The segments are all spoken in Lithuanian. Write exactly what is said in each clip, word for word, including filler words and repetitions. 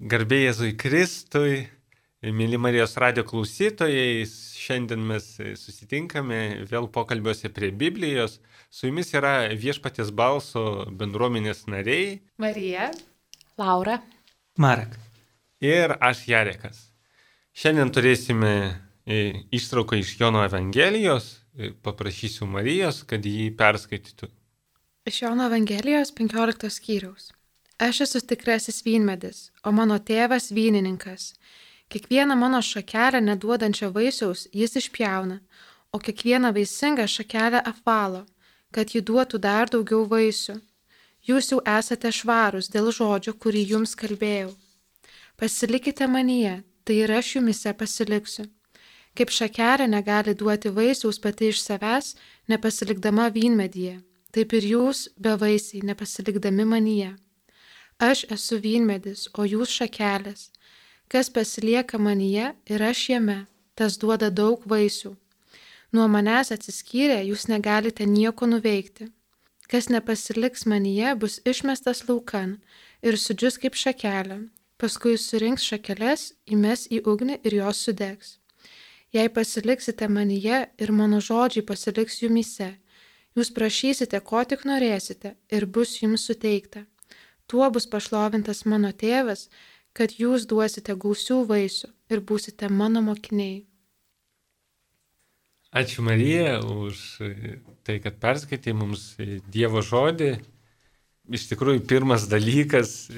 Garbė Jėzui Kristui, mėly Marijos radio klausytojai, šiandien mes susitinkame vėl pokalbiuose prie Biblijos. Su jumis yra Viešpaties balso bendruomenės nariai Marija, Laura, Marek ir aš Jarekas. Šiandien turėsime ištrauką iš Jono Evangelijos, paprašysiu Marijos, kad jį perskaitytų. iš Jono Evangelijos penkioliktos skyriaus. Aš esu tikrasis vynmedis, o mano tėvas vynininkas. Kiekvieną mano šakelę neduodančią vaisiaus jis išpjauna, o kiekvieną vaisingą šakelę apvalo, kad ji duotų dar daugiau vaisių. Jūs jau esate švarūs dėl žodžio, kurį jums kalbėjau. Pasilikite manyje, tai ir aš jumise pasiliksiu. Kaip šakelė negali duoti vaisiaus pati iš savęs, nepasilikdama vynmedyje, taip ir jūs bevaisiai nepasilikdami manyje. Aš esu vynmedis, o jūs šakelės. Kas pasilieka manyje ir aš jame, tas duoda daug vaisių. Nuo manęs atsiskyrę jūs negalite nieko nuveikti. Kas nepasiliks manyje, bus išmestas laukan ir sudžius kaip šakelė. Paskui surinks šakeles, įmes į ugnį ir jos sudegs. Jei pasiliksite manyje ir mano žodžiai pasiliks jumyse, jūs prašysite, ko tik norėsite ir bus jums suteikta. Tuo bus pašlovintas mano tėvas, kad jūs duosite gausių vaisių ir būsite mano mokiniai. Ačiū Marija už tai, kad perskaitė mums Dievo žodį. Iš tikrųjų, pirmas dalykas,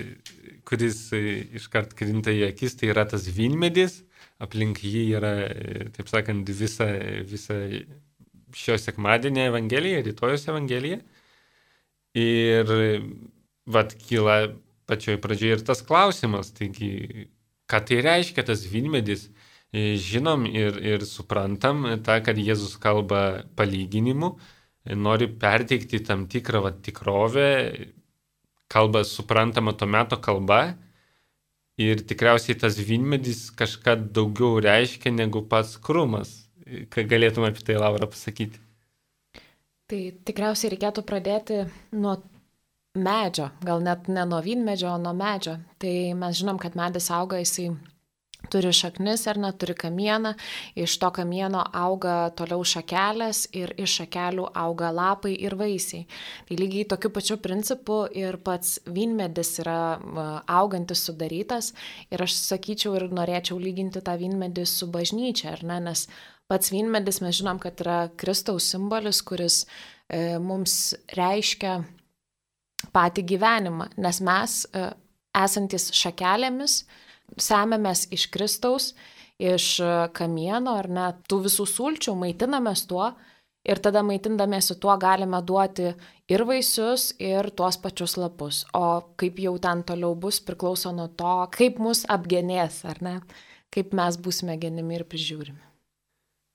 kuris iškart krinta į akis, tai yra tas vynmedis. Aplink jį yra, taip sakant, visa, visa šio sekmadienio evangelija, rytojos evangelija. Ir vat kyla pačioj pradžioje ir tas klausimas, taigi, ką tai reiškia tas vynmedis? Žinom ir, ir suprantam tą, kad Jėzus kalba palyginimu, nori perteikti tam tikrą vat, tikrovę, kalba suprantama to meto kalba ir tikriausiai tas vynmedis kažką daugiau reiškia negu pats krūmas. Ką galėtum apie tai, Laura, pasakyti? tai tikriausiai reikėtų pradėti nuo medžio, gal net ne nuo vynmedžio, o nuo medžio. Tai mes žinom, kad medis auga, jisai turi šaknis ar neturi kamieną, iš to kamieno auga toliau šakelės ir iš šakelių auga lapai ir vaisiai. Tai lygiai tokiu pačiu principu ir pats vynmedis yra augantis, sudarytas ir aš sakyčiau ir norėčiau lyginti tą vynmedį su bažnyčia, ar ne, nes pats vynmedis mes žinom, kad yra Kristaus simbolis, kuris e, mums reiškia patį gyvenimą, nes mes, esantis šakelėmis, semiamės iš Kristaus, iš kamieno ar net tų visų sulčių, maitinamės tuo ir tada maitindamėsi tuo galime duoti ir vaisius, ir tuos pačius lapus. O kaip jau ten toliau bus, priklauso nuo to, kaip mus apgenės, ar ne, kaip mes būsime genimi ir prižiūrimi.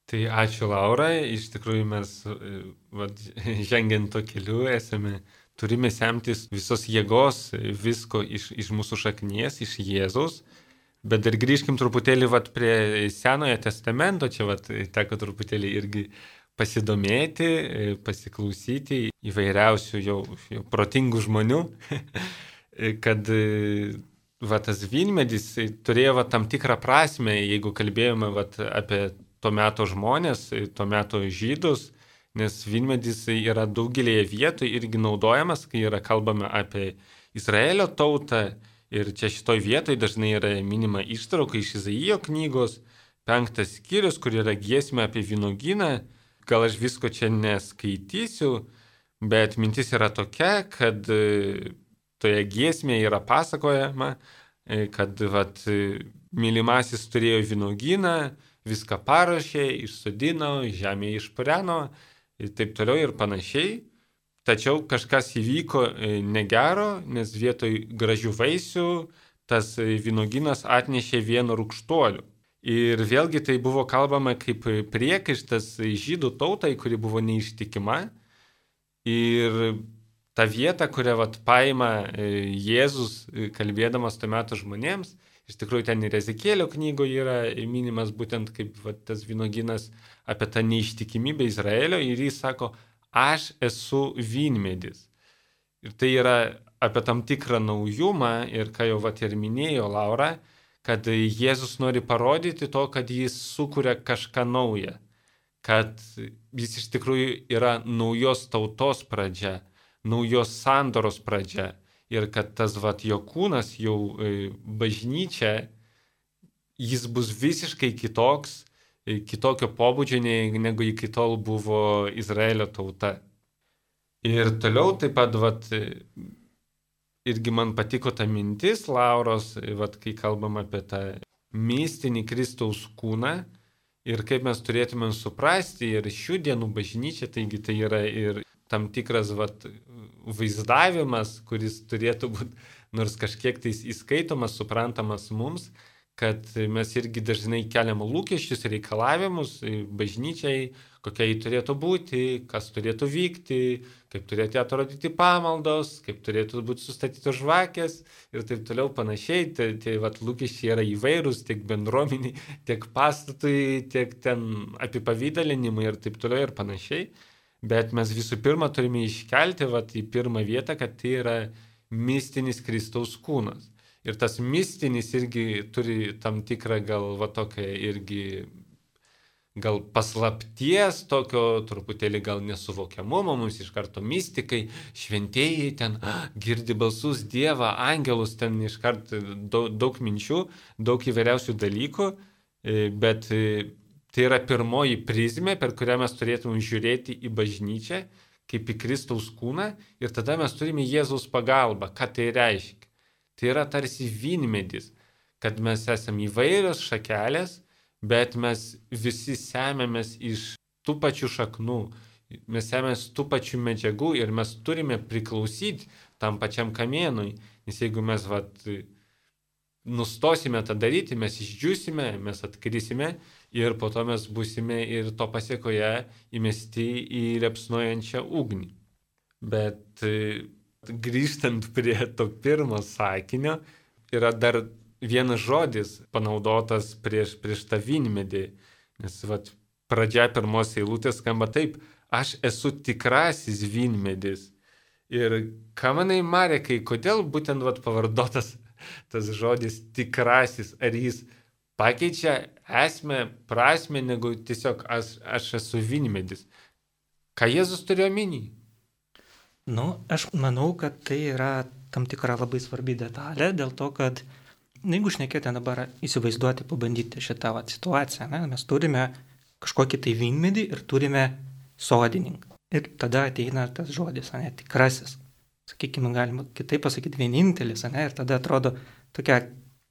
Tai ačiū, Laura, iš tikrųjų mes vat, žengiant to keliu esame turime semtis visos jėgos, visko iš, iš mūsų šaknies, iš Jėzaus. Bet dar grįžkim truputėlį vat, prie Senojo testamento, čia vat, teko truputėlį irgi pasidomėti, pasiklausyti įvairiausių jau, jau protingų žmonių, kad vat, tas vynmedis turėjo vat, tam tikrą prasme, jeigu kalbėjome vat, apie to meto žmonės, to meto žydus, nes vynmedis yra daugelėje vietų irgi naudojamas, kai yra kalbama apie Izraelio tautą. Ir čia šitoj vietoj dažnai yra minima ištrauka iš Izaijo knygos, penktas skyrius, kur yra giesmė apie vynuogyną. Gal aš visko čia neskaitysiu, bet mintis yra tokia, kad toje giesmėje yra pasakojama, kad vat, mylimasis turėjo vynuogyną, viską paruošė, išsodino, žemė išpureno, ir taip toliau ir panašiai. Tačiau kažkas įvyko negero, nes vietoj gražių vaisių tas vynuogynas atnešė vien rūgštuolių. Ir vėlgi tai buvo kalbama kaip priekaištas žydų tautai, kuri buvo neištikima. Ir ta vieta, kurią vat, paima Jėzus, kalbėdamas tuo metu žmonėms, iš tikrųjų ten ir Ezekėlio knygoje yra minimas būtent kaip vat, tas vynuogynas apie tą neištikimybę Izraelio ir jis sako, aš esu vynmedis. Ir tai yra apie tam tikrą naujumą ir ką jau vat ir minėjo Laura, kad Jėzus nori parodyti to, kad jis sukuria kažką naują, kad jis iš tikrųjų yra naujos tautos pradžia, naujos sandoros pradžia ir kad tas vat jo kūnas, jau bažnyčia, jis bus visiškai kitoks, kitokio pobūdžio, negu iki tol buvo Izraelio tauta. Ir toliau taip pat, vat, irgi man patiko ta mintis Lauros, vat, kai kalbam apie tą mistinį Kristaus kūną ir kaip mes turėtume suprasti ir šių dienų bažnyčia, taigi tai yra ir tam tikras vat, vaizdavimas, kuris turėtų būti nors kažkiek tais įskaitomas, suprantamas mums, kad mes irgi dažnai keliam lūkesčius, reikalavimus bažnyčiai, kokia jį turėtų būti, kas turėtų vykti, kaip turėtų atrodyti pamaldos, kaip turėtų būti sustatytos žvakės ir taip toliau panašiai. Tai, tai vat, lūkesčiai yra įvairūs tiek bendruomeniai, tiek pastatui, tiek ten apipavydalinimui ir taip toliau ir panašiai. Bet mes visų pirma turime iškelti vat, į pirmą vietą, kad tai yra mistinis Kristaus kūnas. Ir tas mistinis irgi turi tam tikrą gal va tokią irgi gal paslapties, tokio truputėlį gal nesuvokiamumo, mums iš karto mistikai, šventieji ten girdi balsus Dievą, angelus, ten iš karto daug, daug minčių, daug įvairiausių dalykų, bet tai yra pirmoji prizmė, per kurią mes turėtume žiūrėti į bažnyčią, kaip į Kristaus kūną ir tada mes turime Jėzaus pagalbą, ką tai reiškia. Tai yra tarsi vynmedis, kad mes esame įvairios šakelės, bet mes visi semėmės iš tų pačių šaknų, mes semėmės tų pačių medžiagų ir mes turime priklausyti tam pačiam kamienui, nes jeigu mes vat, nustosime tą daryti, mes išdžiūsime, mes atkrisime ir po to mes būsime ir to pasiekoje įmesti į liepsnojančią ugnį. Bet grįžtant prie to pirmo sakinio, yra dar vienas žodis panaudotas prieš, prieš tą vynmedį, nes vat, pradžia pirmos eilutės skamba taip, aš esu tikrasis vynmedis. Ir ką manai, Marekai, kodėl būtent vat, pavardotas tas žodis tikrasis, ar jis pakeičia esmę, prasmę, negu tiesiog aš, aš esu vynmedis? Ką Jėzus turėjo omeny? Nu, aš manau, kad tai yra tam tikra labai svarbi detalė, dėl to, kad, jeigu šnekėti dabar įsivaizduoti, pabandyti šitą vat, situaciją, ne, mes turime kažkokį tai vynmedį ir turime sodininką. Ir tada ateina tas žodis, ne, tikrasis. Sakykime, galima kitaip pasakyti vienintelis, ne, ir tada atrodo tokia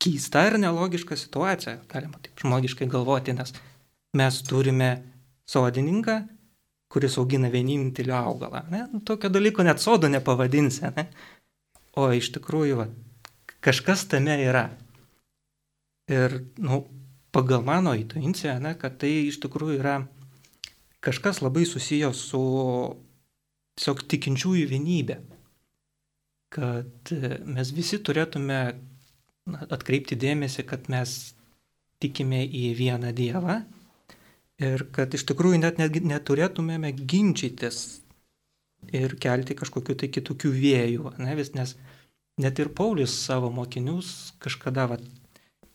keista ir nelogiška situacija, galima taip žmogiškai galvoti, nes mes turime sodininką, kuris augina vienintelį augalą. Ne? Tokio dalyko net sodo nepavadinsi. Ne? O iš tikrųjų, va, kažkas tame yra. Ir nu, pagal mano intuiciją, ne, kad tai iš tikrųjų yra kažkas labai susijęs su tiesiog tikinčiųjų vienybė. Kad mes visi turėtume atkreipti dėmesį, kad mes tikime į vieną Dievą. Ir kad iš tikrųjų net neturėtumėme ginčytis ir kelti kažkokių tai kitokių vėjų. Ne? Nes net ir Paulius savo mokinius kažkada va,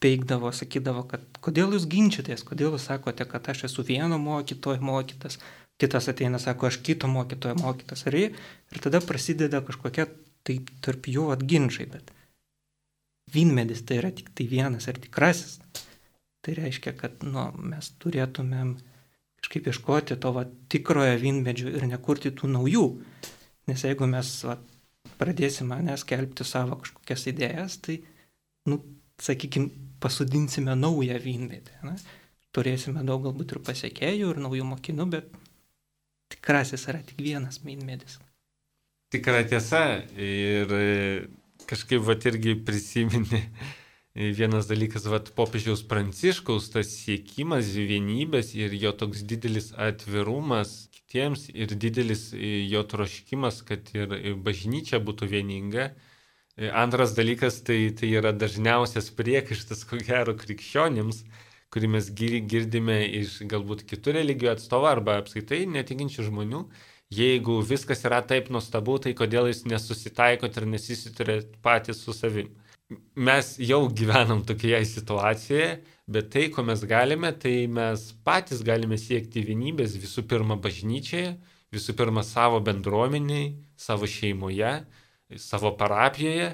peikdavo, sakydavo, kad kodėl jūs ginčytės, kodėl jūs sakote, kad aš esu vieno mokytojo mokytas, kitas ateina, sako, aš kito mokytojo mokytas. Ir, ir tada prasideda kažkokia tai tarp jų atginčiai, bet vynmedis tai yra tik tai vienas ir tikrasis. Tai reiškia, kad nu, mes turėtumėm kažkaip ieškoti to va, tikrojo vynmedžio ir nekurti tų naujų. Nes jeigu mes va, pradėsime neskelbti savo kažkokias idėjas, tai, nu, sakykime, pasodinsime naują vynmedį. Ne? Turėsime daug galbūt ir pasiekėjų, ir naujų mokinių, bet tikrasis yra tik vienas vynmedis. Tikra tiesa ir kažkaip va, irgi prisiminė. Vienas dalykas, vat, popiežiaus Pranciškaus, tas siekimas vienybės ir jo toks didelis atvirumas kitiems ir didelis jo troškimas, kad ir bažnyčia būtų vieninga. Antras dalykas, tai, tai yra dažniausias priekaištas, ko gero, krikščionims, kurį mes girdime iš galbūt kitų religijų atstovų arba apskaitai netikinčių žmonių. Jeigu viskas yra taip nuostabu, tai kodėl jūs nesusitaikot ir nesisiturėt patys su savim. Mes jau gyvenam tokioje situacijoje, bet tai, ko mes galime, tai mes patys galime siekti vienybės visų pirma bažnyčioje, visų pirma savo bendruomeniai, savo šeimoje, savo parapijoje.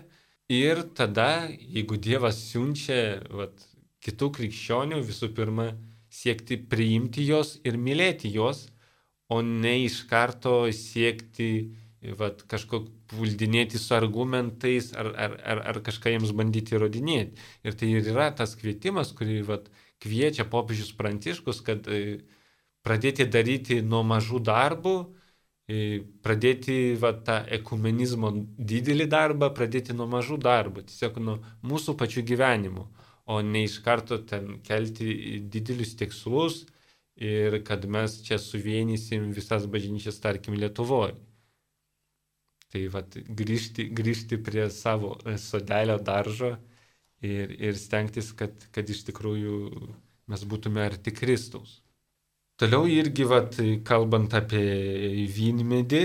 Ir tada, jeigu Dievas siunčia vat, kitų krikščionių, visų pirma siekti priimti jos ir mylėti jos, o ne iš karto siekti vat, kažko puldinėti su argumentais ar, ar, ar, ar kažką jiems bandyti įrodinėti. Ir tai ir yra tas kvietimas, kurį vat, kviečia popiežius Pranciškus, kad e, pradėti daryti nuo mažų darbų, e, pradėti vat, tą ekumenizmo didelį darbą, pradėti nuo mažų darbų, tiesiog nuo mūsų pačių gyvenimų, o ne iš karto ten kelti didelius tikslus ir kad mes čia suvienysim visas bažnyčias, tarkim, Lietuvoje. Tai vat, grįžti, grįžti prie savo sodelio daržo ir, ir stengtis, kad, kad iš tikrųjų mes būtume arti Kristaus. Toliau irgi, vat, kalbant apie vynmedį,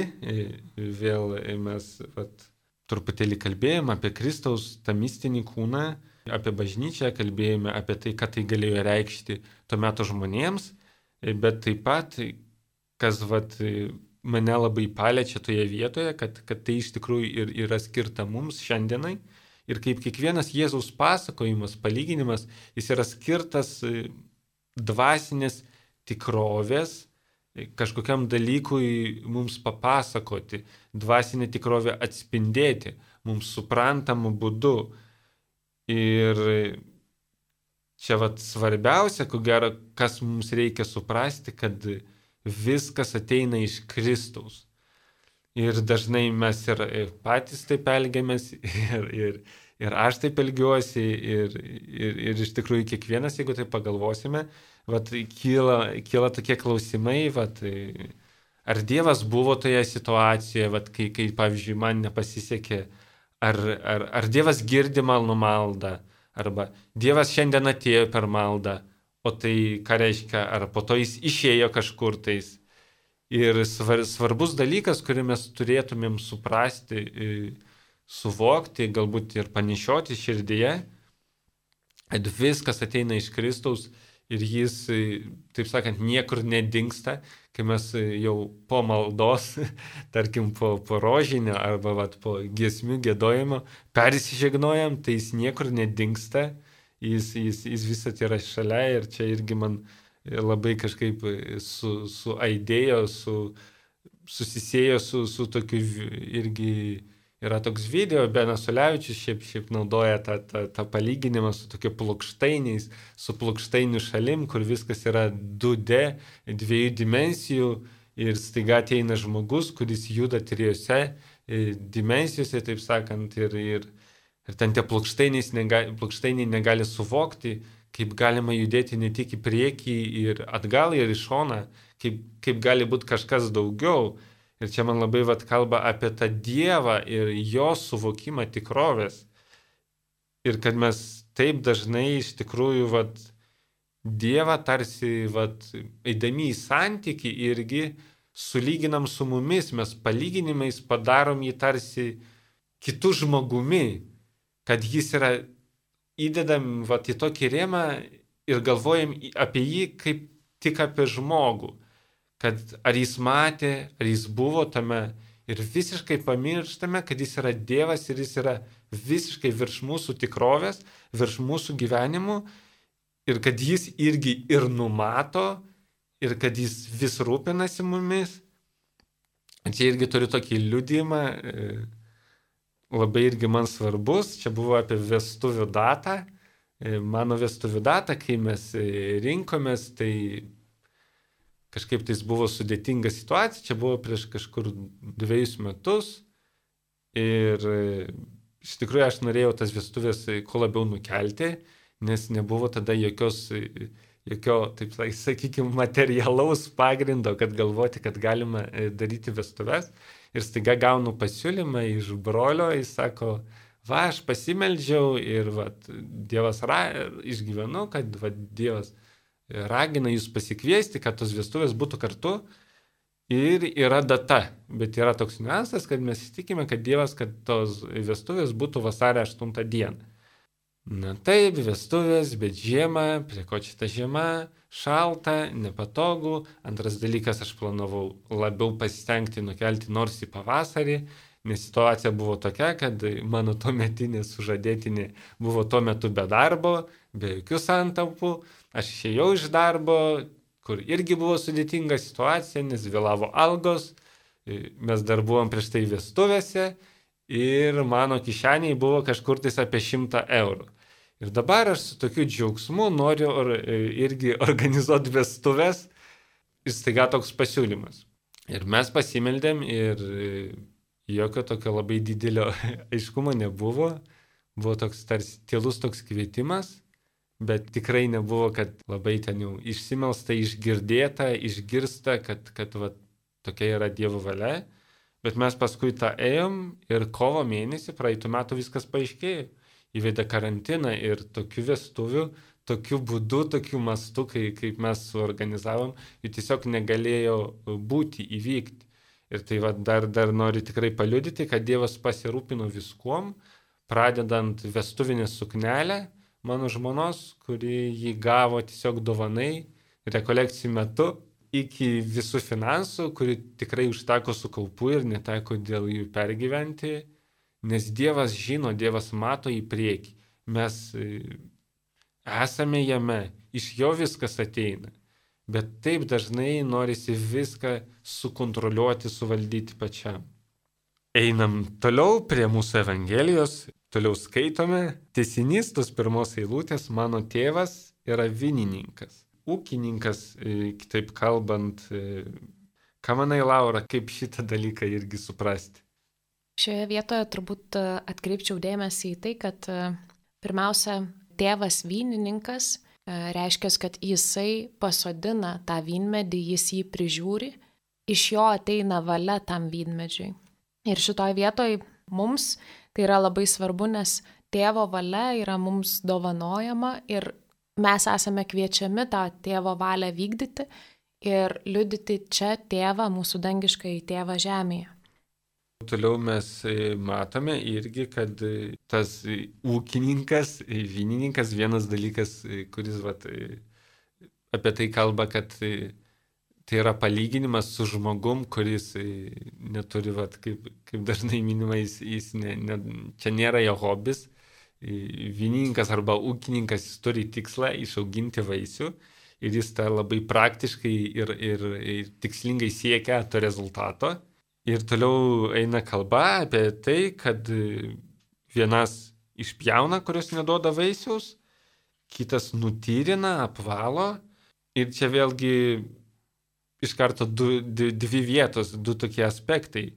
vėl mes vat, truputėlį kalbėjome apie Kristaus tą mistinį kūną, apie bažnyčią, kalbėjome apie tai, ką tai galėjo reikšti tuo metu žmonėms, bet taip pat, kas vat, mane labai paliečia toje vietoje, kad, kad tai iš tikrųjų ir yra skirta mums šiandienai. Ir kaip kiekvienas Jėzaus pasakojimas, palyginimas, jis yra skirtas dvasinės tikrovės, kažkokiam dalykui mums papasakoti, dvasinę tikrovę atspindėti, mums suprantamu būdu. Ir čia vat svarbiausia, ko gero, kas mums reikia suprasti, kad viskas ateina iš Kristaus. Ir dažnai mes ir patys taip elgiamės, ir, ir, ir aš taip elgiuosi, ir, ir, ir iš tikrųjų kiekvienas, jeigu tai pagalvosime, vat, kyla, kyla tokie klausimai, vat, ar Dievas buvo toje situacijoje, vat, kai, kai, pavyzdžiui, man nepasisekė, ar, ar, ar Dievas girdi mano maldą, arba Dievas šiandien atėjo per maldą, o tai ką reiškia, ar po to jis išėjo kažkur tais. Ir svar, svarbus dalykas, kurį mes turėtumėm suprasti, suvokti, galbūt ir panešioti širdyje, kad viskas ateina iš Kristaus ir jis, taip sakant, niekur nedingsta, kai mes jau po maldos, tarkim po, po rožinio arba vat, po giesmių giedojimo persižegnojam, tai jis niekur nedingsta. Jis, jis, jis visat yra šalia ir čia irgi man labai kažkaip su, su aidėjo, su, susisėjo su, su tokiu irgi yra toks video, Benas Ulevičius šiaip, šiaip naudoja tą, tą, tą palyginimą su tokiu plokštainiais, su plokštainių šalim, kur viskas yra du D, dviejų dimensijų ir staiga ateina žmogus, kuris juda trijose dimensijose, taip sakant, ir, ir Ir ten tie plokštainiai negali, plokštainiai negali suvokti, kaip galima judėti ne tik į priekį ir atgal ir į šoną, kaip, kaip gali būti kažkas daugiau. Ir čia man labai vat kalba apie tą Dievą ir jo suvokimą tikrovės. Ir kad mes taip dažnai iš tikrųjų vat, Dievą tarsi vat, eidami į santykį irgi sulyginam su mumis, mes palyginimais padarom jį tarsi kitų žmogumi. Kad jis yra įdedam vat, į tokį rėmą ir galvojam apie jį kaip tik apie žmogų. Kad ar jis matė, ar jis buvo tame ir visiškai pamirštame, kad jis yra Dievas ir jis yra visiškai virš mūsų tikrovės, virš mūsų gyvenimų ir kad jis irgi ir numato ir kad jis vis rūpinasi mumis. Čia irgi turiu tokį liudijimą, labai irgi man svarbus, čia buvo apie vestuvių datą, mano vestuvių datą, kai mes rinkomės, tai kažkaip tais buvo sudėtinga situacija, čia buvo prieš kažkur dviejus metus ir iš tikrųjų aš norėjau tas vestuvės kuo labiau nukelti, nes nebuvo tada jokios, jokio, taip sakykime, materialaus pagrindo, kad galvoti, kad galima daryti vestuves. Ir staiga gaunu pasiūlymą iš brolio, jis sako, va, aš pasimeldžiau ir va, Dievas ra, išgyvenu, kad va, Dievas ragina jūs pasikviesti, kad tos vestuvės būtų kartu. ir yra data. Bet yra toks niuansas, kad mes įsitikime, kad Dievas, kad tos vestuvės būtų vasario aštuntą dieną. Na taip, vestuvės, bet žiema, prie ko čia ta žiema, šalta, nepatogu. Antras dalykas, aš planavau labiau pasistengti nukelti nors į pavasarį, nes situacija buvo tokia, kad mano tuometinė sužadėtinė buvo tuo metu be darbo, be jokių santaupų. Aš išėjau iš darbo, kur irgi buvo sudėtinga situacija, nes vėlavo algos, mes dar buvom prieš tai vestuvėse. Ir mano kišeniai buvo kažkur tais apie šimtą eurų. Ir dabar aš su tokiu džiaugsmu noriu or, irgi organizuoti vestuvės ir staiga toks pasiūlymas. Ir mes pasimeldėm ir jokio tokio labai didelio aiškumo nebuvo. Buvo toks tarsi tylus toks kvietimas, bet tikrai nebuvo, kad labai ten jau išsimelsta, išgirdėta, išgirsta, kad, kad va, tokia yra Dievo valia. Bet mes paskui tą ėjom ir kovo mėnesį praeitų metų viskas paaiškėjo. Įvedė karantiną ir tokių vestuvių, tokiu būdu, tokiu mastu, kai, kaip mes suorganizavom, jų tiesiog negalėjo būti, įvykti. Ir tai va, dar, dar noriu tikrai paliudyti, kad Dievas pasirūpino viskuom, pradedant vestuvinę suknelę mano žmonos, kuri jį gavo tiesiog dovanai rekolekcijų metu, iki visų finansų, kuri tikrai užteko su kaupu ir neteko dėl jų pergyventi, nes Dievas žino, Dievas mato į priekį. Mes esame jame, iš jo viskas ateina, bet taip dažnai norisi viską sukontroliuoti, suvaldyti pačiam. Einam toliau prie mūsų Evangelijos, toliau skaitome. Tęsinys tos pirmos eilutės, mano tėvas yra vynininkas. Ūkininkas, kitaip kalbant, ką manai, Laura, kaip šitą dalyką irgi suprasti? Šioje vietoje turbūt atkreipčiau dėmesį į tai, kad pirmiausia, tėvas vynininkas reiškia, kad jisai pasodina tą vynmedį, jis jį prižiūri, iš jo ateina valia tam vynmedžiui. Ir šitoje vietoje mums tai yra labai svarbu, nes tėvo valia yra mums dovanojama ir mes esame kviečiami tą tėvo valią vykdyti ir liudyti čia tėvą, mūsų dangiškąjį tėvą žemėje. Toliau mes matome irgi, kad tas ūkininkas, vynininkas, vienas dalykas, kuris vat, apie tai kalba, kad tai yra palyginimas su žmogum, kuris neturi, vat, kaip, kaip dažnai minima, jis, jis ne, ne, čia nėra jo hobis. Vynininkas arba ūkininkas, jis turi tikslą išauginti vaisių ir jis tą labai praktiškai ir, ir, ir tikslingai siekia to rezultato. Ir toliau eina kalba apie tai, kad vienas išpjauna, kurios neduoda vaisiaus, kitas nutyrina, apvalo. Ir čia vėlgi iš karto du, dvi vietos, du tokie aspektai.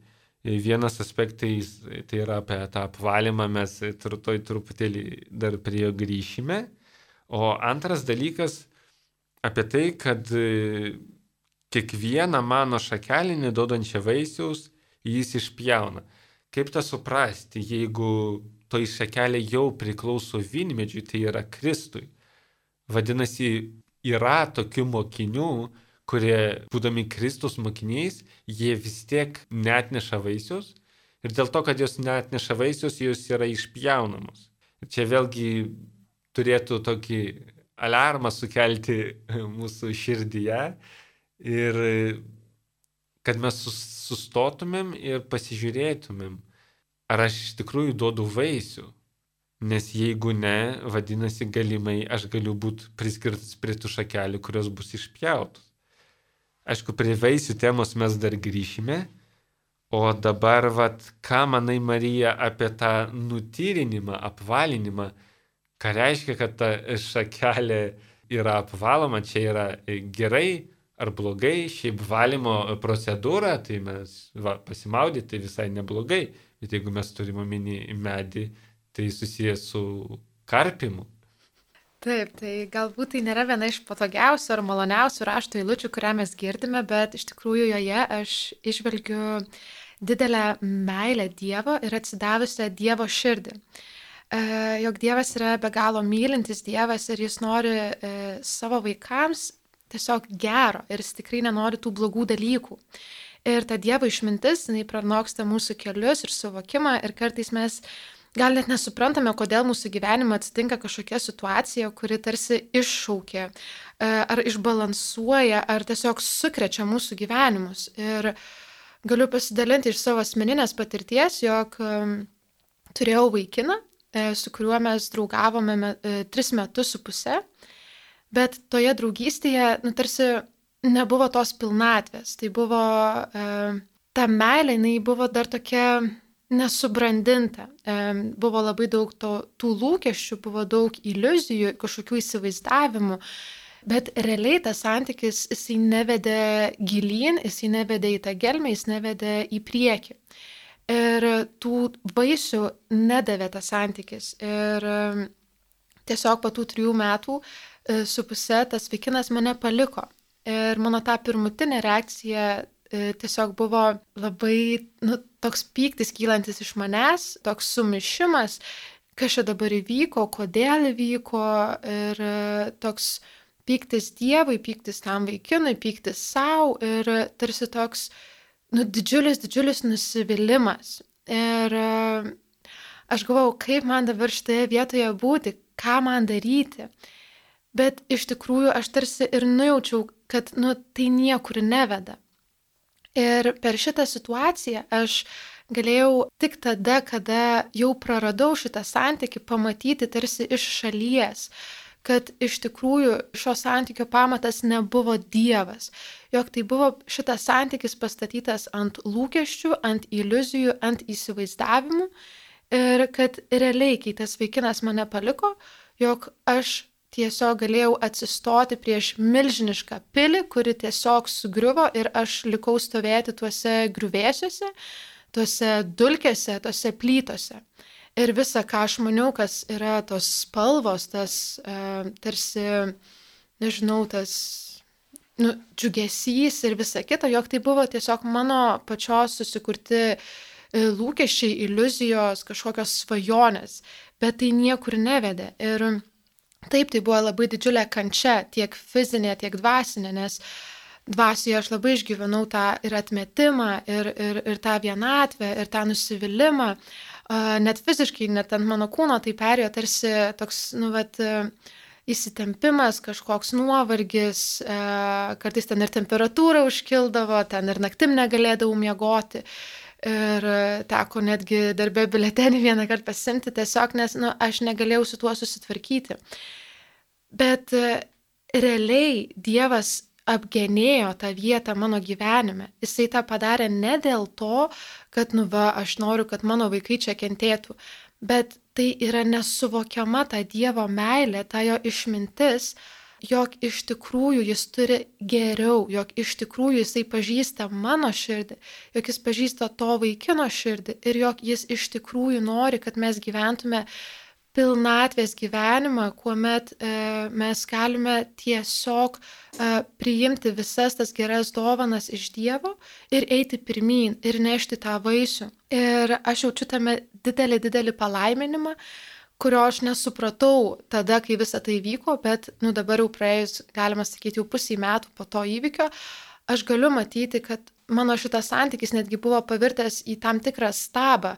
Vienas aspektais tai yra apie tą apvalymą, mes toj truputėlį dar prie jo grįšime. O antras dalykas apie tai, kad kiekvieną mano šakelį neduodančią vaisiaus jis išpjauna. Kaip tą suprasti, jeigu toj šakelė jau priklauso vynmedžiui, tai yra Kristui. Vadinasi, yra tokių mokinių, kurie, būdami Kristus mokiniais, jie vis tiek neatneša vaisius ir dėl to, kad jos neatneša vaisius, jos yra išpjaunamos. Ir čia vėlgi turėtų tokį alarmą sukelti mūsų širdyje ir kad mes sustotumėm ir pasižiūrėtumėm, ar aš iš tikrųjų duodu vaisių. Nes jeigu ne, vadinasi, galimai aš galiu būti priskirtas prie tų šakelių, kurios bus išpjautos. Aišku, prie vaisių temos mes dar grįšime, o dabar, vat, ką manai, Marija, apie tą nutyrinimą, apvalinimą, ką reiškia, kad ta šakelė yra apvaloma, čia yra gerai ar blogai, šiaip valymo procedūra, tai mes va, pasimaudyti tai visai neblogai, bet jeigu mes turime omeny medį, tai susijęs su karpimu. Taip, tai galbūt tai nėra viena iš patogiausių ar maloniausių rašto eilučių, kurią mes girdime, bet iš tikrųjų joje aš išvelgiu didelę meilę Dievo ir atsidavusią Dievo širdį. E, jog Dievas yra be galo mylintis Dievas ir jis nori e, savo vaikams tiesiog gero ir jis tikrai nenori tų blogų dalykų. Ir ta Dievo išmintis, jinai pranoksta mūsų kelius ir suvokimą ir kartais mes gal net nesuprantame, kodėl mūsų gyvenime atsitinka kažkokia situacija, kuri tarsi iššaukia ar išbalansuoja, ar tiesiog sukrečia mūsų gyvenimus. Ir galiu pasidalinti iš savo asmeninės patirties, jog turėjau vaikiną, su kuriuo mes draugavome tris metus su puse, bet toje draugystėje, nu, tarsi nebuvo tos pilnatvės. Tai buvo, ta meilė, jinai buvo dar tokia nesubrandinta. Buvo labai daug to, tų lūkesčių, buvo daug iliuzijų, kažkokių įsivaizdavimų, bet realiai tas santykis, jisai nevedė gilyn, jisai nevedė į tą gelmę, jis nevedė į priekį. Ir tų vaisių nedavė tas santykis. Ir tiesiog po tų trijų metų su puse tas vaikinas mane paliko. Ir mano ta pirmutinė reakcija tiesiog buvo labai, nu, toks pyktis kylantis iš manęs, toks sumišimas, kas čia dabar įvyko, kodėl įvyko, ir toks pyktis Dievui, pyktis tam vaikinui, pyktis savo ir tarsi toks, nu, didžiulis, didžiulis nusivylimas. Ir aš galvojau, kaip man dabar šitoje vietoje būti, ką man daryti. Bet iš tikrųjų aš tarsi ir nujaučiau, kad, nu, tai niekur neveda. Ir per šitą situaciją aš galėjau tik tada, kada jau praradau šitą santykį, pamatyti tarsi iš šalies, kad iš tikrųjų šio santykio pamatas nebuvo Dievas, jog tai buvo šitas santykis pastatytas ant lūkesčių, ant iliuzijų, ant įsivaizdavimų ir kad realiai, kai tas vaikinas mane paliko, jog aš tiesiog galėjau atsistoti prieš milžinišką pilį, kuri tiesiog sugriuvo ir aš likau stovėti tuose griuvėsiuose, tuose dulkėse, tuose plytose. Ir visa, ką aš maniau, kas yra tos spalvos, tas e, tarsi, nežinau, tas nu, džiugesys ir visa kita, jog tai buvo tiesiog mano pačios susikurti e, lūkesčiai, iliuzijos, kažkokios svajonės, bet tai niekur nevedė. Ir taip, tai buvo labai didžiulė kančia, tiek fizinė, tiek dvasinė, nes dvasioje aš labai išgyvenau tą ir atmetimą, ir, ir, ir tą vienatvę, ir tą nusivylimą. Net fiziškai, net ant mano kūno tai perėjo tarsi toks, nu, vat, įsitempimas, kažkoks nuovargis, kartais ten ir temperatūra užkildavo, ten ir naktim negalėdavau miegoti. Ir teko netgi darbė biuletenį vieną kartą pasimti tiesiog, nes nu, aš negalėjau su tuo susitvarkyti. Bet realiai Dievas apgenėjo tą vietą mano gyvenime. Jisai tą padarė ne dėl to, kad nu va, aš noriu, kad mano vaikai čia kentėtų, bet tai yra nesuvokiama ta Dievo meilė, ta jo išmintis, jog iš tikrųjų jis turi geriau, jog iš tikrųjų jisai pažįsta mano širdį, jog jis pažįsta to vaikino širdį ir jog jis iš tikrųjų nori, kad mes gyventume pilnatvės gyvenimą, kuomet e, mes galime tiesiog e, priimti visas tas geras dovanas iš Dievo ir eiti pirmyn ir nešti tą vaisių. Ir aš jaučiu tame didelį, didelį palaiminimą, kurio aš nesupratau tada, kai visa tai vyko, bet nu, dabar jau praėjus, galima sakyti, jau pusį metų po to įvykio, aš galiu matyti, kad mano šitas santykis netgi buvo pavirtęs į tam tikrą stabą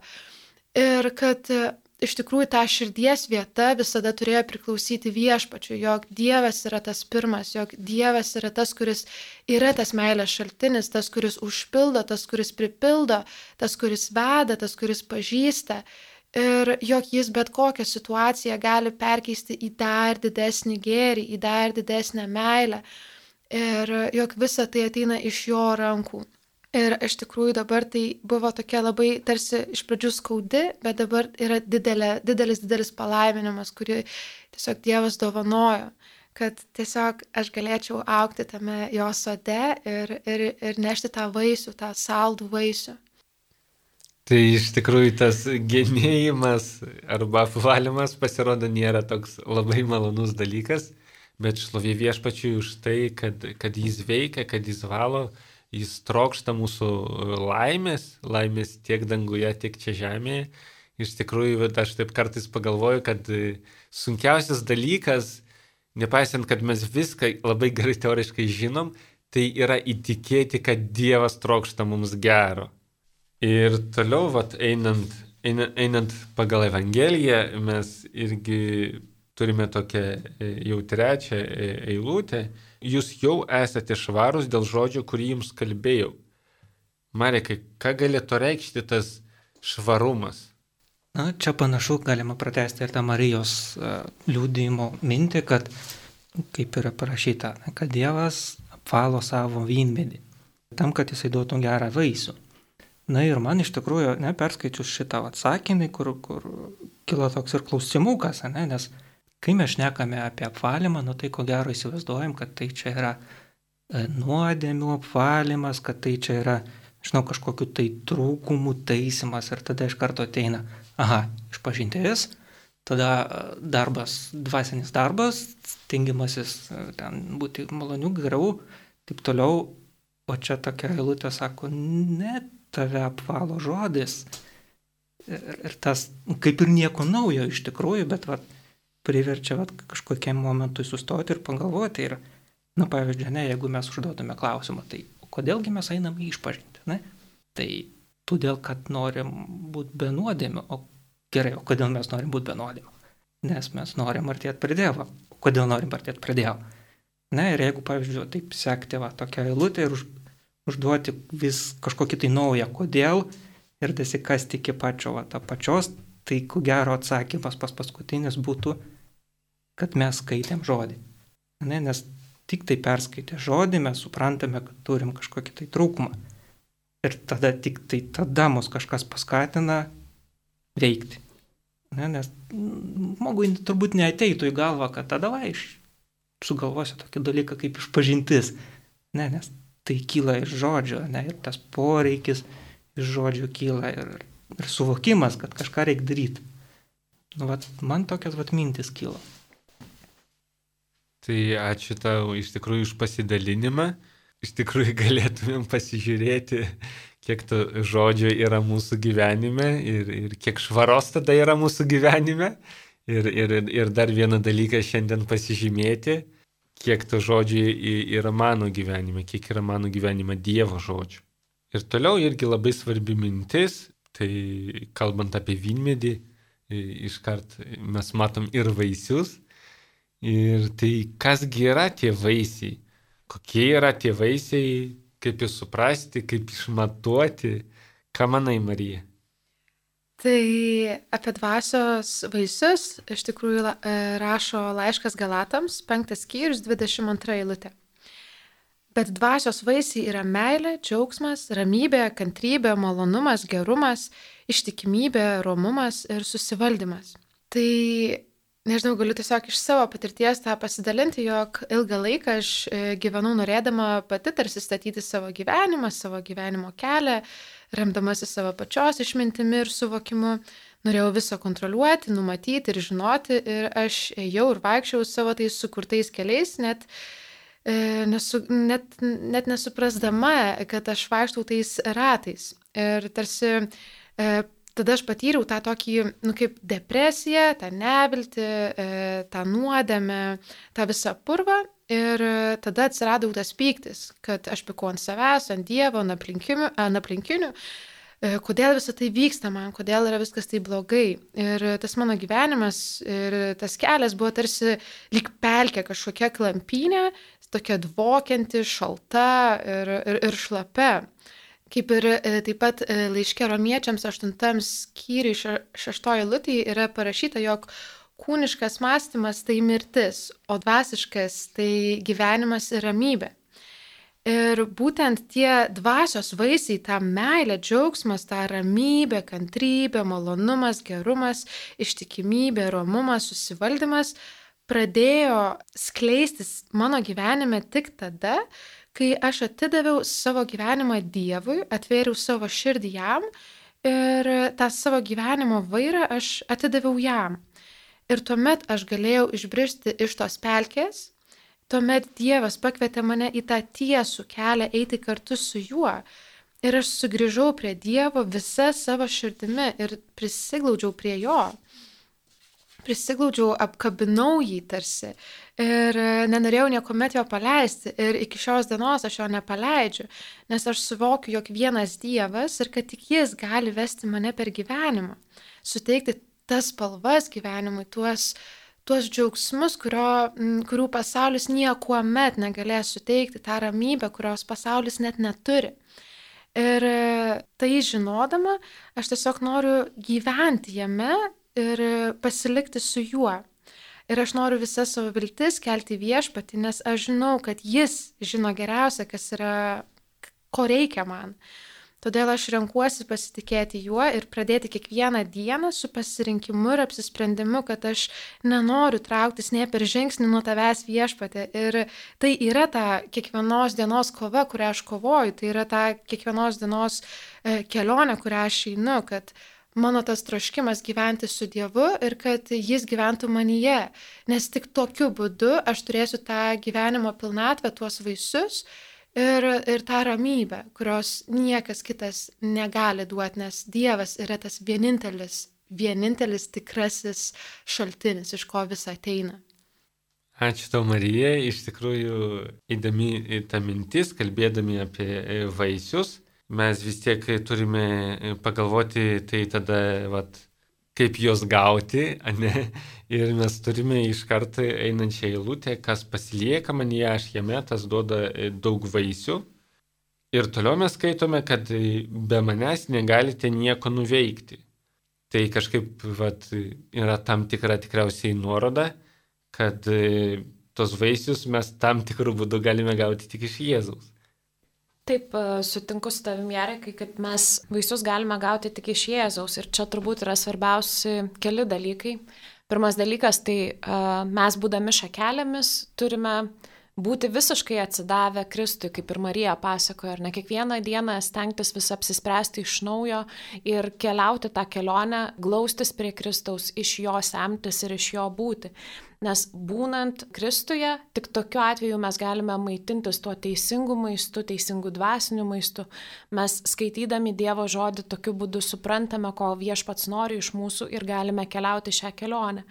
ir kad iš tikrųjų ta širdies vieta visada turėjo priklausyti Viešpačiui, jog Dievas yra tas pirmas, jog Dievas yra tas, kuris yra tas meilės šaltinis, tas, kuris užpildo, tas, kuris pripildo, tas, kuris veda, tas, kuris pažįsta. Ir jog jis bet kokią situaciją gali perkeisti į dar didesnį gėrį, į dar didesnę meilę. Ir jog visa tai ateina iš jo rankų. Ir iš tikrųjų dabar tai buvo tokia labai tarsi iš pradžių skaudi, bet dabar yra didelė, didelis, didelis palaiminimas, kurį tiesiog Dievas dovanojo, kad tiesiog aš galėčiau augti tame jo sode ir, ir, ir nešti tą vaisių, tą saldų vaisių. Tai iš tikrųjų tas genėjimas arba apvalymas pasirodo nėra toks labai malonus dalykas, bet šlovė Viešpačiui už tai, kad, kad jis veikia, kad jis valo, jis trokšta mūsų laimės, laimės tiek danguje, tiek čia žemėje. Iš tikrųjų, aš taip kartais pagalvoju, kad sunkiausias dalykas nepaisant, kad mes viską labai gerai teoriškai žinom, tai yra įtikėti, kad Dievas trokšta mums gero. Ir toliau, vat, einant, einant, einant pagal Evangeliją, mes irgi turime tokią jau trečią eilutę. Jūs jau esate švarūs dėl žodžio, kurį jums kalbėjau. Marekai, ką galėtų reikšti tas švarumas? Na, čia panašu galima pratesti ir tą Marijos uh, liudijimo mintį, kad, kaip yra parašyta, kad Dievas apvalo savo vynmedį, tam, kad jisai duotų gerą vaisių. Na ir man iš tikrųjų, ne, perskaičius šitą atsakinį, kur, kur kilo toks ir klausimukas, ne, nes kai mes šnekame apie apvalymą, nu tai ko gero įsivaizduojam, kad tai čia yra e, nuodėmių apvalymas, kad tai čia yra, žinau, kažkokiu tai trūkumų taisimas ir tada iš karto ateina, aha, išpažintis, tada darbas, dvasinis darbas, stengimasis ten būti malonių, gerų, taip toliau, o čia tokia eilutė sako, ne, tave apvalo žodis. Ir, ir tas kaip ir nieko naujo iš tikrųjų, bet vat, priverčia vat, kažkokiam momentui sustoti ir pagalvoti. Ir, na, pavyzdžiui, ne, jeigu mes užduotume klausimą, tai kodėlgi mes einame išpažinti, ne? Tai todėl, kad norim būti be nuodėmių. O gerai, o kodėl mes norim būti be nuodėmių? Nes mes norim artėti prie Dievo. Kodėl norim artėti prie Dievo? Na ir jeigu, pavyzdžiui, taip sekti va, tokią eilutę ir už, užduoti vis kažkokį tai naują kodėl ir dasikasti iki pačio va, tą pačios, tai ko gero atsakymas pas paskutinis būtų, kad mes skaitėm žodį. Ne, nes tik tai perskaitę žodį mes suprantame, kad turim kažkokį tai trūkumą. Ir tada tik tai tada mus kažkas paskatina veikti. Ne, nes žmogui turbūt neateitų į galvą, kad tada va, iš, sugalvosiu tokį dalyką kaip išpažintis. Ne, nes tai kyla iš žodžio, ne, ir tas poreikis iš žodžio kyla ir, ir suvokimas, kad kažką reikia daryti. Nu, vat, man tokias vat mintis kyla. Tai ačiū tau iš tikrųjų už pasidalinimą. Iš tikrųjų galėtumėm pasižiūrėti, kiek to žodžio yra mūsų gyvenime ir, ir kiek švaros tada yra mūsų gyvenime. Ir, ir, ir dar vieną dalyką šiandien pasižymėti, kiek to žodžio yra mano gyvenime, kiek yra mano gyvenime Dievo žodžio. Ir toliau irgi labai svarbi mintis, tai kalbant apie vynmedį, iškart mes matom ir vaisius. Ir tai kasgi yra tie vaisiai? Kokie yra tie vaisiai, kaip jūs suprasti, kaip išmatuoti, ką manai, Marija? Tai apie dvasios vaisius iš tikrųjų rašo laiškas Galatams, penktas skyrius, dvidešimt antra eilutė. Bet dvasios vaisiai yra meilė, džiaugsmas, ramybė, kantrybė, malonumas, gerumas, ištikimybė, romumas ir susivaldymas. Tai nežinau, galiu tiesiog iš savo patirties tą pasidalinti, jog ilgą laiką aš gyvenau norėdama pati tarsi statyti savo gyvenimą, savo gyvenimo kelią, remdamasi savo pačios išmintimi ir suvokimu. Norėjau visą kontroliuoti, numatyti ir žinoti ir aš ėjau ir vaikščiau savo tais sukurtais keliais, net, e, nesu, net, net nesuprasdama, kad aš vaikštau tais ratais. Ir tarsi e, tada aš patyriau tą tokį, nu, kaip depresiją, tą neviltį, tą nuodėmę, tą visą purvą ir tada atsiradau tas pyktis, kad aš pykau ant savęs, ant Dievo, ant aplinkinių, ant aplinkinių, kodėl visą tai vyksta man, kodėl yra viskas tai blogai. Ir tas mano gyvenimas ir tas kelias buvo tarsi lyg pelkė kažkokia klampynė, tokia dvokianti, šalta ir, ir, ir šlapia. Kaip ir taip pat laiške Romiečiams aštuntam skyriui šeštoji eilutėje yra parašyta, jog kūniškas mąstymas tai mirtis, o dvasiškas tai gyvenimas ir ramybė. Ir būtent tie dvasios vaisiai, ta meilė, džiaugsmas, ta ramybė, kantrybė, malonumas, gerumas, ištikimybė, romumas, susivaldymas pradėjo skleistis mano gyvenime tik tada, kai aš atidaviau savo gyvenimą Dievui, atvėriau savo širdį jam ir tą savo gyvenimo vairą aš atidaviau jam. Ir tuomet aš galėjau išbristi iš tos pelkės, tuomet Dievas pakvietė mane į tą tiesų kelią eiti kartu su juo. Ir aš sugrįžau prie Dievo visa savo širdimi ir prisiglaudžiau prie jo. prisiglaudžiau, apkabinau jį tarsi ir nenorėjau niekuomet jo paleisti ir iki šios dienos aš jo nepaleidžiu, nes aš suvokiu, jog vienas Dievas ir kad tik jis gali vesti mane per gyvenimą, suteikti tas spalvas gyvenimui, tuos, tuos džiaugsmus, kurio, kurių pasaulis niekuomet negalės suteikti, tą ramybę, kurios pasaulis net neturi. Ir tai žinodama, aš tiesiog noriu gyventi jame ir pasilikti su juo. Ir aš noriu visą savo viltis kelti Viešpatį, nes aš žinau, kad jis žino geriausia, kas yra, ko reikia man. Todėl aš renkuosi pasitikėti juo ir pradėti kiekvieną dieną su pasirinkimu ir apsisprendimu, kad aš nenoriu trauktis ne per žingsnį nuo tavęs, Viešpatie. Ir tai yra ta kiekvienos dienos kova, kurią aš kovoju, tai yra ta kiekvienos dienos kelionė, kurią aš einu, kad mano tas troškimas gyventi su Dievu ir kad jis gyventų manyje. Nes tik tokiu būdu aš turėsiu tą gyvenimo pilnatvę, tuos vaisius, Ir, ir tą ramybę, kurios niekas kitas negali duoti, nes Dievas yra tas vienintelis, vienintelis tikrasis šaltinis, iš ko visa ateina. Ačiū tau, Marija, iš tikrųjų įdomi ta mintis, kalbėdami apie vaisius. Mes vis tiek turime pagalvoti, tai tada, vat, kaip juos gauti, ne? Ir mes turime iš karto einančią eilutę, kas pasilieka manyje, aš jame, tas duoda daug vaisių. Ir toliau mes skaitome, kad be manęs negalite nieko nuveikti. Tai kažkaip vat, yra tam tikra tikriausiai nuoroda, kad tos vaisius mes tam tikrų būdų galime gauti tik iš Jėzaus. Taip, sutinku su tavim, Jarekai, kad mes vaisius galime gauti tik iš Jėzaus ir čia turbūt yra svarbiausi keli dalykai. Pirmas dalykas, tai mes būdami šakelėmis turime būti visiškai atsidavę Kristui, kaip ir Marija pasakojo, ir ne kiekvieną dieną stengtis vis apsispręsti iš naujo ir keliauti tą kelionę, glaustis prie Kristaus, iš jo semtis ir iš jo būti. Nes būnant Kristuje, tik tokiu atveju mes galime maitintis tuo teisingu maistu, teisingu dvasiniu maistu. Mes skaitydami Dievo žodį tokiu būdu suprantame, ko Viešpats nori iš mūsų ir galime keliauti šią kelionę.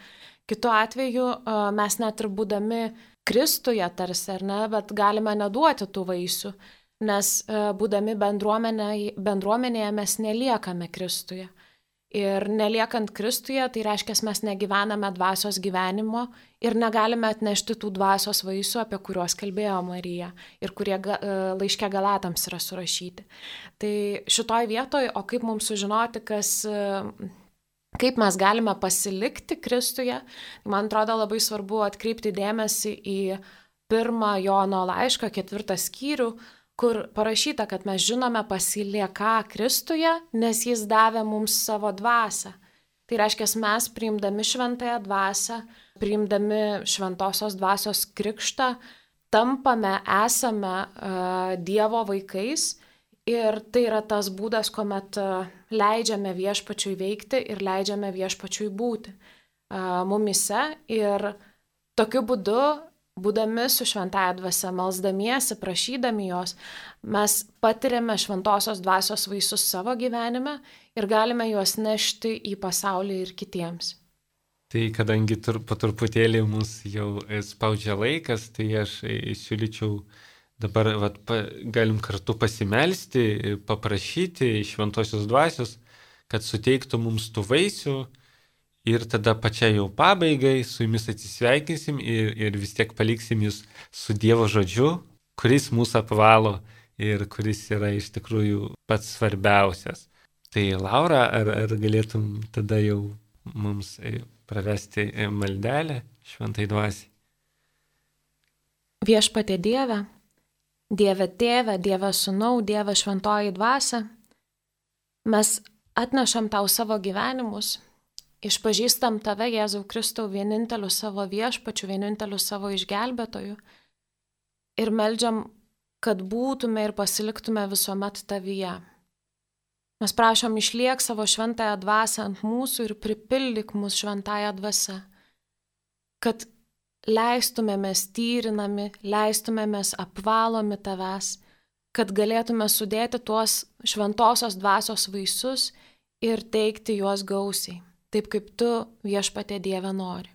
Kitu atveju mes net ir būdami Kristuje tarsi, ar ne, bet galime neduoti tų vaisių, nes būdami bendruomenėje, bendruomenėje mes neliekame Kristuje. Ir neliekant Kristuje, tai reiškia, mes negyvename dvasios gyvenimo ir negalime atnešti tų dvasios vaisių, apie kuriuos kalbėjo Marija ir kurie laiške Galatams yra surašyti. Tai šitoj vietoj, o kaip mums sužinoti, kas, kaip mes galime pasilikti Kristuje, man atrodo labai svarbu atkreipti dėmesį į pirmą Jono laišką, ketvirtą skyrių, kur parašyta, kad mes žinome pasilieką Kristuje, nes jis davė mums savo dvasią. Tai reiškia, mes priimdami šventąją dvasią, priimdami šventosios dvasios krikštą, tampame, esame uh, Dievo vaikais ir tai yra tas būdas, kuomet uh, leidžiame Viešpačiui veikti ir leidžiame Viešpačiui būti uh, mumise ir tokiu būdu būdami su šventąja dvasia, melsdamiesi, prašydami jos, mes patiriame šventosios dvasios vaisius savo gyvenime ir galime juos nešti į pasaulį ir kitiems. Tai kadangi tur, po truputėlį mus jau spaudžia laikas, tai aš siūlyčiau dabar vat, pa, galim kartu pasimelsti, paprašyti šventosios dvasios, kad suteiktų mums tų vaisių. Ir tada pačiai jau pabaigai su jumis atsisveikinsim ir, ir vis tiek paliksim jūs su Dievo žodžiu, kuris mūsų apvalo ir kuris yra iš tikrųjų pats svarbiausias. Tai Laura, ar, ar galėtum tada jau mums pravesti maldelę šventai dvasiai? Viešpatie Dieve, Dieve Tėve, Dieve Sūnau, Dieve Šventoji Dvasia, mes atnešam tau savo gyvenimus. Išpažįstam tave, Jėzau Kristau, vieninteliu savo viešpačiu, vieninteliu savo išgelbėtoju ir meldžiam, kad būtume ir pasiliktume visuomet tavyje. Mes prašom, išliek savo šventąją dvasią ant mūsų ir pripildyk mus šventąją dvasią, kad leistumėmės tyrinami, leistumėmės apvalomi tavęs, kad galėtume sudėti tuos šventosios dvasios vaisius ir teikti juos gausiai. taip kaip tu, viešpatie Dieve, nori.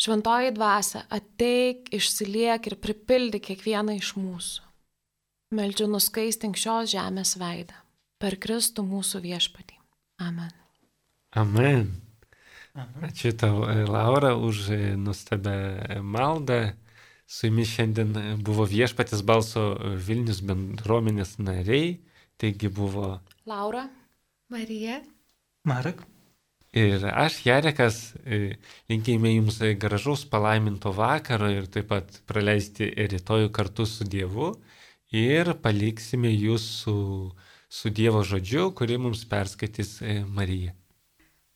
Šventoji dvasia, ateik, išsiliek ir pripildyk kiekvieną iš mūsų. Meldžiu nuskaistink šios žemės veidą. Per Kristų mūsų viešpatį. Amen. Amen. Aha. Ačiū tau, Laura, už nuostabią maldą. Su jumis šiandien buvo Viešpaties balso Vilnius bendruomenės nariai. Taigi buvo Laura. Marija. Marek. Ir aš, Jarekas, linkėjime jums gražaus palaiminto vakaro ir taip pat praleisti rytojų kartu su Dievu. Ir paliksime jūs su, su Dievo žodžiu, kurį mums perskaitys Marija.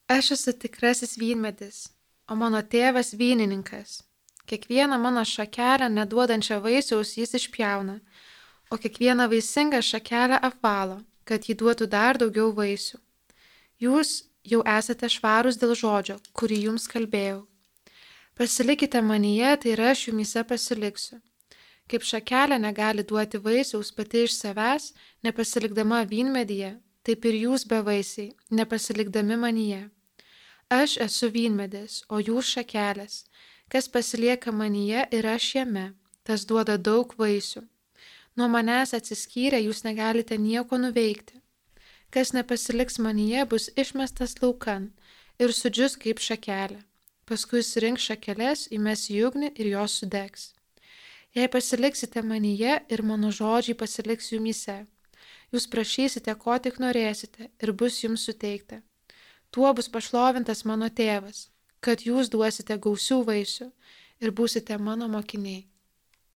Aš esu tikrasis vynmedis, o mano tėvas vynininkas. Kiekvieną mano šakelę neduodančią vaisiaus jis išpjauna, o kiekvieną vaisingą šakelę apvalo, kad jį duotų dar daugiau vaisių. Jūs jau esate švarūs dėl žodžio, kurį jums kalbėjau. Pasilikite manyje, tai ir aš jumyse pasiliksiu. Kaip šakelė negali duoti vaisiaus pati iš savęs, nepasilikdama vynmedyje, taip ir jūs bevaisiai, nepasilikdami manyje. Aš esu vynmedis, o jūs šakelės. Kas pasilieka manyje ir aš jame, tas duoda daug vaisių. Nuo manęs atsiskyrę jūs negalite nieko nuveikti. Kas nepasiliks manyje, bus išmestas laukan ir sudžius kaip šakelė. Paskui surinks šakeles, įmes į ugnį ir jos sudegs. Jei pasiliksite manyje ir mano žodžiai pasiliks jumyse, jūs prašysite, ko tik norėsite ir bus jums suteikta. Tuo bus pašlovintas mano tėvas, kad jūs duosite gausių vaisių ir būsite mano mokiniai.